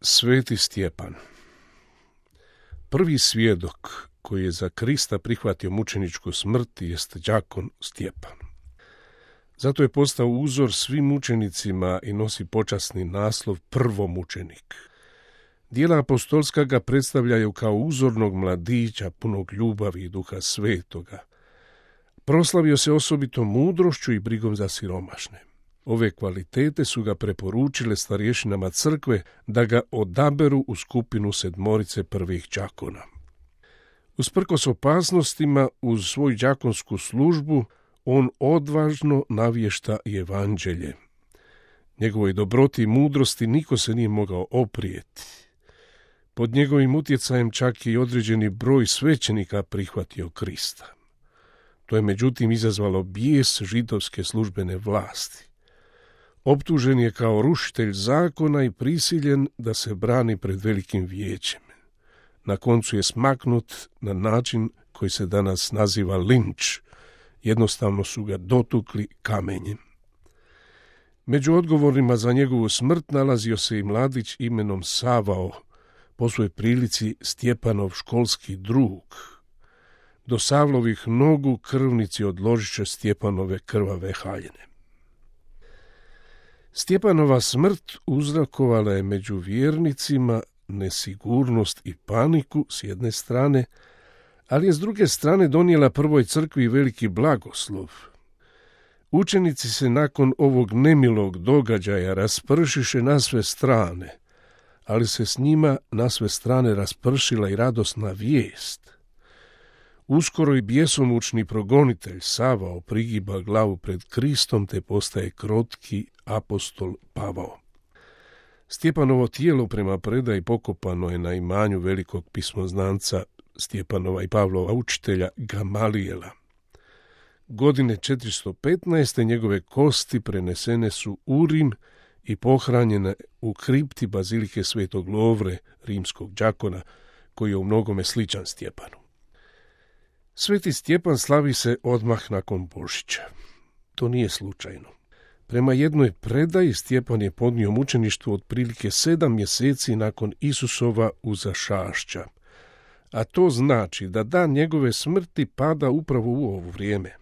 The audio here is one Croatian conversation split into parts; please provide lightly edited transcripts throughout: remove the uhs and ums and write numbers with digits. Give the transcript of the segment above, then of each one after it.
Sveti Stjepan. Prvi svjedok koji je za Krista prihvatio mučeničku smrt jest đakon Stjepan. Zato je postao uzor svim mučenicima i nosi počasni naslov prvomučenik. Dijela apostolska ga predstavljaju kao uzornog mladića punog ljubavi i duha svetoga. Proslavio se osobito mudrošću i brigom za siromašne. Ove kvalitete su ga preporučile starješinama crkve da ga odaberu u skupinu 7 prvih đakona. Usprkos opasnostima, uz svoju đakonsku službu, on odvažno navješta i evanđelje. Njegovoj dobroti i mudrosti niko se nije mogao oprijeti. Pod njegovim utjecajem čak i određeni broj svećenika prihvatio Krista. To je međutim izazvalo bijes židovske službene vlasti. Optužen je kao rušitelj zakona i prisiljen da se brani pred velikim vijećem. Na koncu je smaknut na način koji se danas naziva linč. Jednostavno su ga dotukli kamenjem. Među odgovorima za njegovu smrt nalazio se i mladić imenom Savao, po svojoj prilici Stjepanov školski drug. Do Savlovih nogu krvnici odložiše Stjepanove krvave haljine. Stjepanova smrt uzrokovala je među vjernicima nesigurnost i paniku s jedne strane, ali je s druge strane donijela prvoj crkvi veliki blagoslov. Učenici se nakon ovog nemilog događaja raspršiše na sve strane, ali se s njima na sve strane raspršila i radosna vijest. Uskoro i bjesomučni progonitelj Savao prigiba glavu pred Kristom te postaje krotki apostol Pavao. Stjepanovo tijelo prema predaji pokopano je na imanju velikog pismoznanca Stjepanova i Pavlova učitelja Gamalijela. Godine 415. njegove kosti prenesene su u Rim i pohranjene u kripti bazilike Svetog Lovre, rimskog đakona, koji je u mnogome sličan Stjepanu. Sveti Stjepan slavi se odmah nakon Božića. To nije slučajno. Prema jednoj predaji Stjepan je podnio mučeništvo otprilike 7 mjeseci nakon Isusova uzašašća, a to znači da dan njegove smrti pada upravo u ovo vrijeme.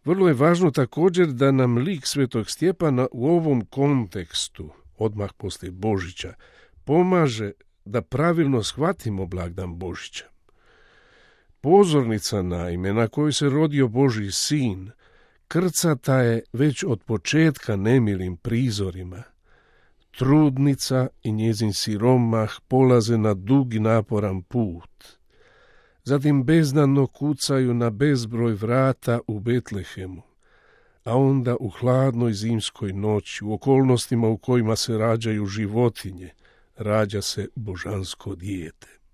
Vrlo je važno također da nam lik svetog Stjepana u ovom kontekstu, odmah poslije Božića, pomaže da pravilno shvatimo blagdan Božića. Pozornica naime na kojoj se rodio Božji sin krcata je već od početka nemilim prizorima. Trudnica i njezin siromah polaze na dug i naporan put. Zatim beznadno kucaju na bezbroj vrata u Betlehemu, a onda u hladnoj zimskoj noći, u okolnostima u kojima se rađaju životinje, rađa se božansko dijete.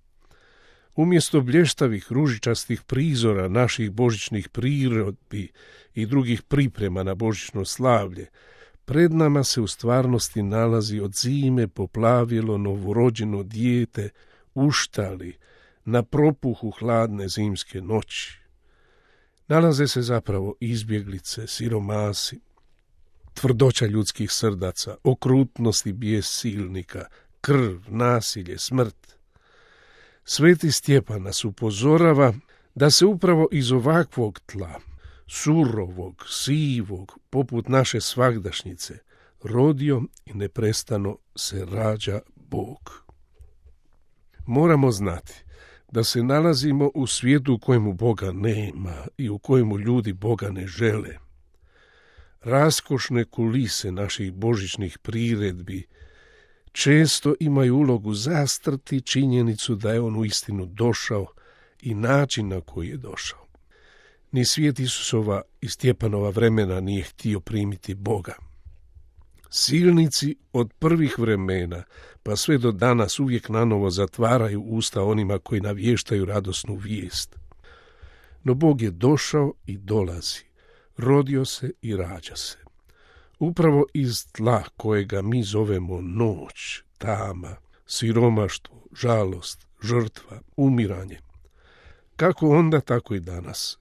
Umjesto blještavih ružičastih prizora naših božićnih prirodbi i drugih priprema na božićno slavlje, pred nama se u stvarnosti nalazi od zime poplavilo novorođeno dijete uštali na propuhu hladne zimske noći. Nalaze se zapravo izbjeglice, siromasi, tvrdoća ljudskih srdaca, okrutnost i bijes silnika, krv, nasilje, smrt. Sveti Stjepan nas upozorava da se upravo iz ovakvog tla, surovog, sivog, poput naše svagdašnjice, rodio i neprestano se rađa Bog. Moramo znati da se nalazimo u svijetu u kojemu Boga nema i u kojemu ljudi Boga ne žele. Raskošne kulise naših božićnih priredbi često imaju ulogu zastrti činjenicu da je on uistinu došao i način na koji je došao. Ni svijet Isusova i Stjepanova vremena nije htio primiti Boga. Silnici od prvih vremena pa sve do danas uvijek nanovo zatvaraju usta onima koji navještaju radosnu vijest. No Bog je došao i dolazi, rodio se i rađa se. Upravo iz tla kojega mi zovemo noć, tama, siromaštvo, žalost, žrtva, umiranje. Kako onda, tako i danas.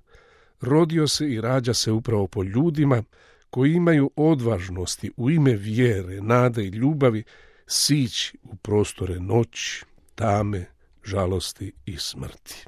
Rodio se i rađa se upravo po ljudima koji imaju odvažnosti u ime vjere, nade i ljubavi sići u prostore noći, tame, žalosti i smrti.